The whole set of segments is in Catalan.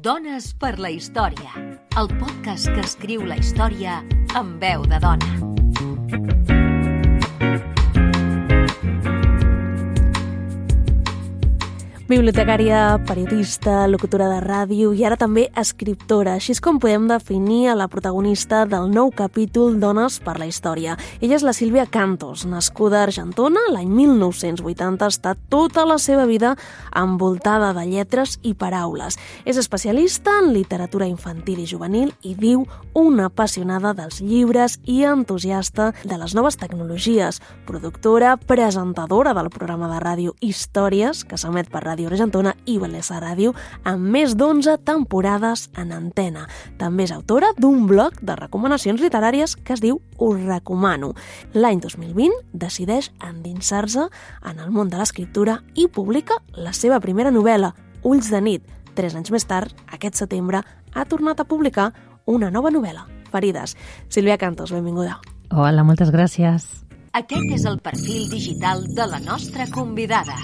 Dones per la història, el podcast que escriu la història amb veu de dona. Bibliotecària, periodista, locutora de ràdio i ara també escriptora. Així és com podem definir a la protagonista del nou capítol Dones per la història. Ella és la Sílvia Cantos, nascuda a Argentona l'any 1980. Està tota la seva vida envoltada de lletres i paraules. És especialista en literatura infantil i juvenil i diu una apassionada dels llibres i entusiasta de les noves tecnologies. Productora, presentadora del programa de ràdio Històries, que s'emet per Ràdio Argentona i Bellesa Ràdio, amb més d'11 temporades en antena. També és autora d'un blog de recomanacions literàries que es diu Us Recomano. L'any 2020 decideix endinsar-se en el món de l'escriptura i publica la seva primera novel·la, Ulls de nit. 3 anys més tard, aquest setembre, ha tornat a publicar una nova novel·la, Ferides. Sílvia Cantos, benvinguda. Hola, moltes gràcies. Aquest és el perfil digital de la nostra convidada.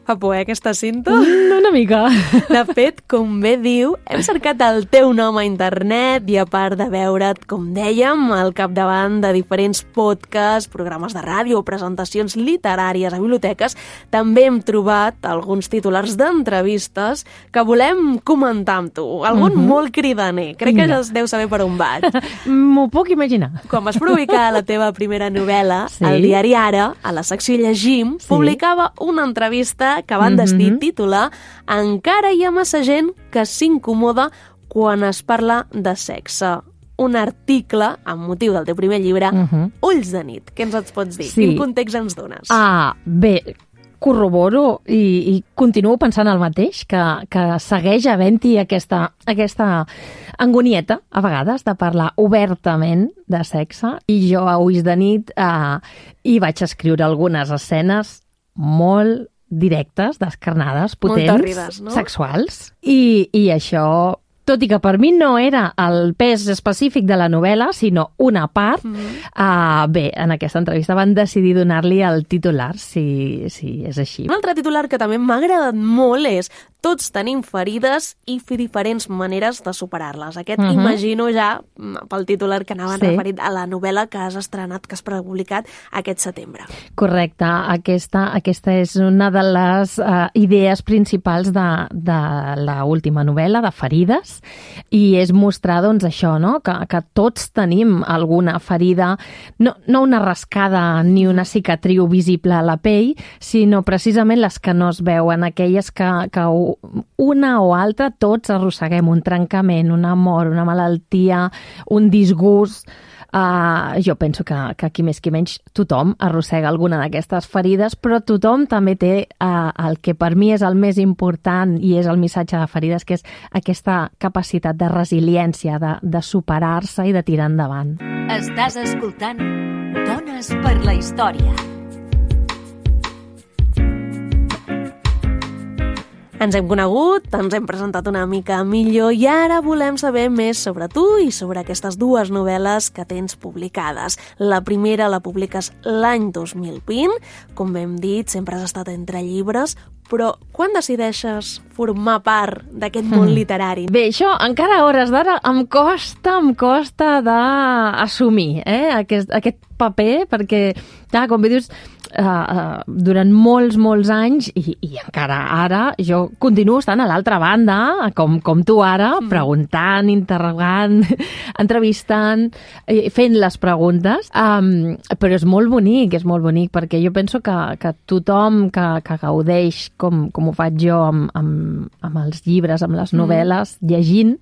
Fa por, aquesta cinta? Una mica. De fet, com bé diu, hem cercat el teu nom a internet i a part de veure't, com dèiem, al capdavant de diferents podcasts, programes de ràdio o presentacions literàries a biblioteques, també hem trobat alguns titulars d'entrevistes que volem comentar amb tu. Algun molt cridaner. Crec que ja es deu saber per on vaig. M'ho puc imaginar. Quan vas publicar la teva primera novel·la, al diari Ara, a la secció Llegim, publicava una entrevista que van decidir titular Encara hi ha massa gent que s'incomoda quan es parla de sexe. Un article amb motiu del teu primer llibre, Ulls de nit. Què ens pots dir? Quin context ens dones? Bé, corroboro i continuo pensant el mateix, que segueix havent-hi aquesta angonieta, a vegades, de parlar obertament de sexe. I jo a Ulls de nit hi vaig escriure algunes escenes molt directes, descarnades, potents, tòrrides, no? Sexuals. I això, tot i que per mi no era el pes específic de la novel·la, sinó una part, bé, en aquesta entrevista van decidir donar-li el titular, si és així. Un altre titular que també m'ha agradat molt és Tots tenim ferides i diferents maneres de superar-les. Aquest imagino ja pel titular que anaven referit a la novel·la que has estrenat, que has publicat aquest setembre. Correcte. Aquesta és una de les idees principals de l'última novel·la, de Ferides, i és mostrar, doncs, això, no? Que tots tenim alguna ferida, no una rascada ni una cicatriu visible a la pell, sinó precisament les que no es veuen, aquelles que una o altra tots arrosseguem, un trencament, un amor, una malaltia, un disgust. Jo penso que qui més qui menys tothom arrossega alguna d'aquestes ferides, però tothom també té el que per mi és el més important i és el missatge de Ferides, que és aquesta capacitat de resiliència, de superar-se i de tirar endavant. Estàs escoltant Dones per la història. Ens hem conegut, ens hem presentat una mica millor i ara volem saber més sobre tu i sobre aquestes 2 novel·les que tens publicades. La primera la publiques l'any 2020, com hem dit, sempre has estat entre llibres, però quan decideixes formar part d'aquest món literari? Bé, això encara a hores d'ara em costa d'assumir aquest paper, perquè, clar, com bé dius, durant molts anys i encara ara jo continuo estant a l'altra banda, com tu ara, preguntant, interrogant, entrevistant, fent les preguntes, però és molt bonic, perquè jo penso que tothom que gaudeix com ho faig jo amb els llibres, amb les novel·les, llegint,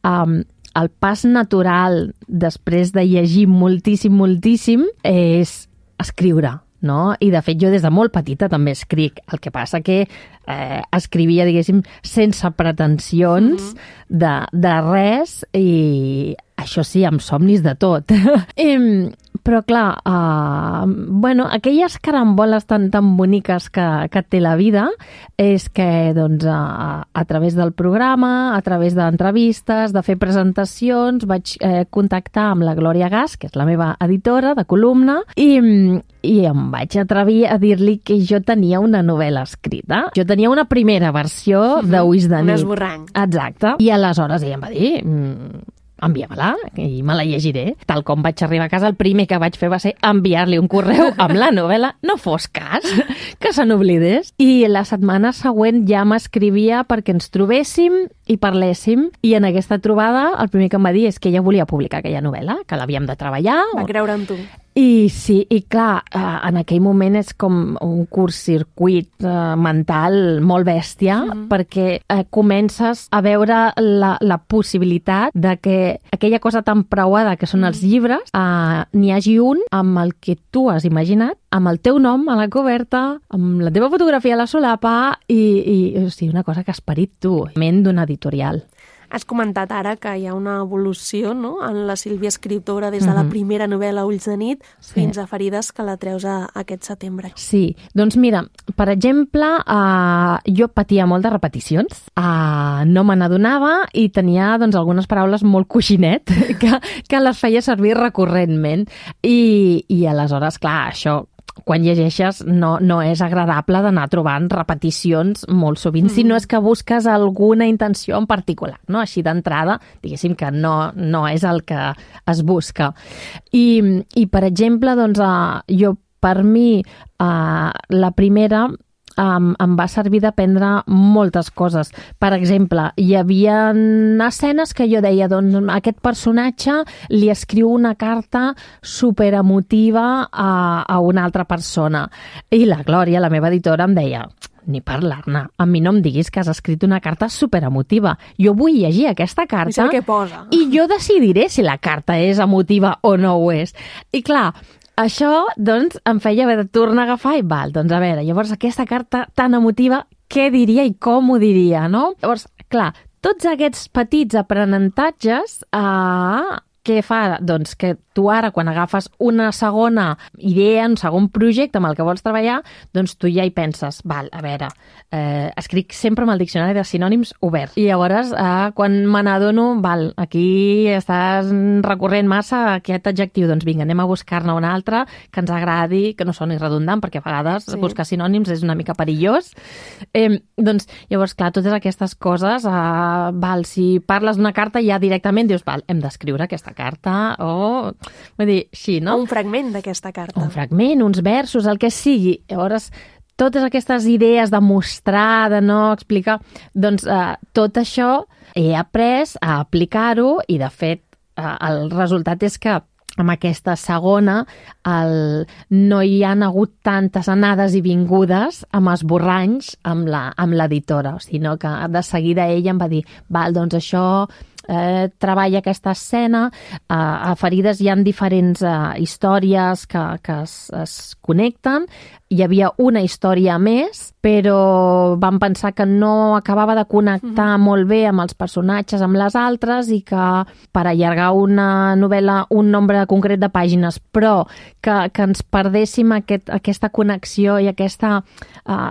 el pas natural després de llegir moltíssim és escriure, no? I de fet jo des de molt petita també escric, el que passa que escrivia, diguéssim, sense pretensions de res, i això sí, amb somnis de tot. Però clar, aquelles caramboles tan boniques que té la vida és que doncs, a través del programa, a través d'entrevistes, de fer presentacions, vaig contactar amb la Glòria Gas, que és la meva editora de columna, i em vaig atrevir a dir-li que jo tenia una novel·la escrita. Jo tenia una primera versió d'Ulls de nit. Un esborrany. Exacte. I aleshores ella em va dir... envia-me-la i me la llegiré. Tal com vaig arribar a casa, el primer que vaig fer va ser enviar-li un correu amb la novel·la, no fos cas que se n'oblidés. I la setmana següent ja m'escrivia perquè ens trobéssim i parléssim. I en aquesta trobada el primer que em va dir és que ella volia publicar aquella novel·la, que l'havíem de treballar. Va creure en tu. I sí, i clar, en aquell moment és com un curtcircuit mental molt bèstia, perquè comences a veure la possibilitat de que aquella cosa tan preuada que són els llibres, n'hi hagi un amb el que tu has imaginat, amb el teu nom a la coberta, amb la teva fotografia a la solapa i o sigui, una cosa que has parit tu, ment d'un editorial. Has comentat ara que hi ha una evolució, no?, en la Sílvia escriptora des de la primera novel·la Ulls de nit fins a Ferides, que la treus aquest setembre. Sí, doncs mira, per exemple, jo patia molt de repeticions, no me n'adonava i tenia doncs, algunes paraules molt coixinet que les feia servir recurrentment. I aleshores, clar, això... quan llegeixes no és agradable d'anar trobant repeticions molt sovint, si no és que busques alguna intenció en particular, no? Així d'entrada, diguéssim que no és el que es busca. I per exemple, doncs, per mi, la primera em va servir d'aprendre moltes coses. Per exemple, hi havia escenes que jo deia, doncs, aquest personatge li escriu una carta superemotiva a una altra persona. I la Glòria, la meva editora, em deia, ni parlar-ne, a mi no em diguis que has escrit una carta superemotiva. Jo vull llegir aquesta carta què posa. I jo decidiré si la carta és emotiva o no ho és. I clar, això, doncs, em feia haver de tornar a agafar i val, doncs a veure, llavors aquesta carta tan emotiva, què diria i com ho diria, no? Llavors, clar, tots aquests petits aprenentatges, què fa? Doncs que tu ara, quan agafes una segona idea, un segon projecte amb el que vols treballar, doncs tu ja hi penses, val, a veure, escric sempre amb el diccionari de sinònims obert. I llavors, quan me n'adono, val, aquí estàs recorrent massa aquest adjectiu, doncs vinga, anem a buscar-ne un altre que ens agradi, que no soni redundant, perquè a vegades buscar sinònims és una mica perillós. Doncs, llavors, clar, totes aquestes coses, val, si parles d'una carta ja directament dius, val, hem d'escriure aquesta carta, o... Vull dir, sí, no? Un fragment d'aquesta carta. Un fragment, uns versos, el que sigui. Llavors, totes aquestes idees de mostrar, de no explicar, doncs tot això he après a aplicar-ho i, de fet, el resultat és que amb aquesta segona no hi han hagut tantes anades i vingudes amb esborranys amb l'editora, sinó que de seguida ella em va dir, val, doncs això... treballa aquesta escena, a Ferides hi ha diferents històries que es connecten, hi havia una història més, però vam pensar que no acabava de connectar molt bé amb els personatges, amb les altres, i que per allargar una novel·la un nombre concret de pàgines, però que ens perdéssim aquesta connexió i aquest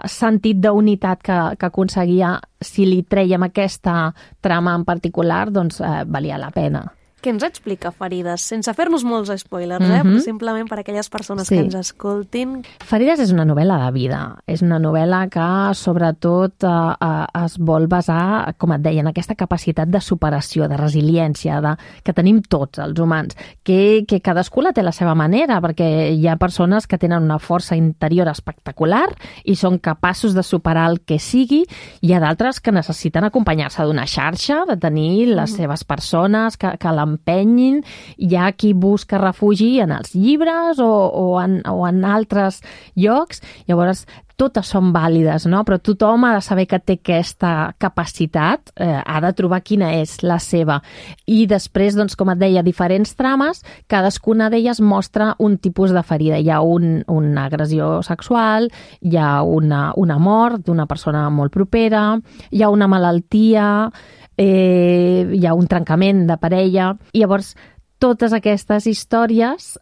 sentit d'unitat que aconseguia si li trèiem aquesta trama en particular, doncs valia la pena. Què ens explica Ferides? Sense fer-nos molts spoilers, però simplement per a aquelles persones que ens escoltin. Ferides és una novel·la de vida. És una novel·la que, sobretot, es vol basar, com et deia, en aquesta capacitat de superació, de resiliència, que tenim tots els humans, que cadascú la té la seva manera, perquè hi ha persones que tenen una força interior espectacular i són capaços de superar el que sigui. Hi ha d'altres que necessiten acompanyar-se d'una xarxa, de tenir les seves persones que l'empenyin. Hi ha qui busca refugi en els llibres o en altres llocs. Llavors, totes són vàlides, no? Però tothom ha de saber que té aquesta capaciat, ha de trobar quina és la seva. I després, doncs, com et deia, diferents trames, cadascuna d'elles mostra un tipus de ferida. Hi ha una agressió sexual, hi ha una mort d'una persona molt propera, hi ha una malaltia, hi ha un trencament de parella, i llavors totes aquestes històries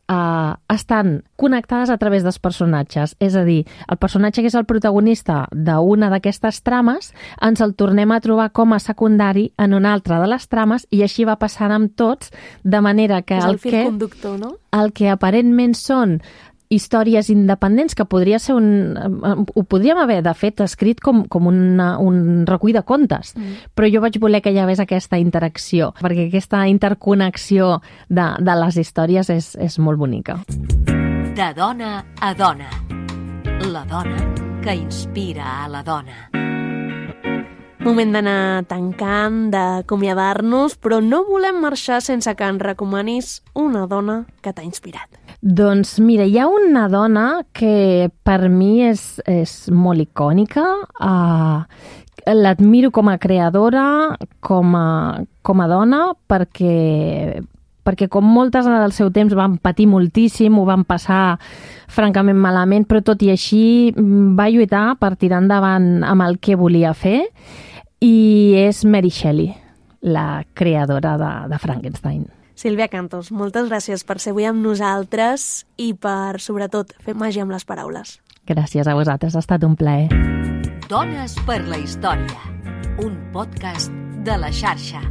estan connectades a través dels personatges. És a dir, el personatge que és el protagonista d'una d'aquestes trames ens el tornem a trobar com a secundari en una altra de les trames i així va passant amb tots, de manera que és el fil conductor, no? El que aparentment són històries independents, que podria ser ho podríem haver, de fet, escrit com un recull de contes, però jo vaig voler que hi hagués aquesta interacció, perquè aquesta interconnexió de les històries és molt bonica. De dona a dona. La dona que inspira a la dona. Moment d'anar tancant, d'acomiadar-nos, però no volem marxar sense que ens recomanis una dona que t'ha inspirat. Doncs mira, hi ha una dona que per mi és molt icònica. L'admiro com a creadora, com a dona, perquè com moltes del seu temps van patir moltíssim, ho van passar francament malament, però tot i així va lluitar per tirar endavant amb el que volia fer, i és Mary Shelley, la creadora de Frankenstein. Sílvia Cantos, moltes gràcies per ser avui amb nosaltres i per, sobretot, fer màgia amb les paraules. Gràcies a vosaltres, ha estat un plaer. Dones per la història, un podcast de La Xarxa.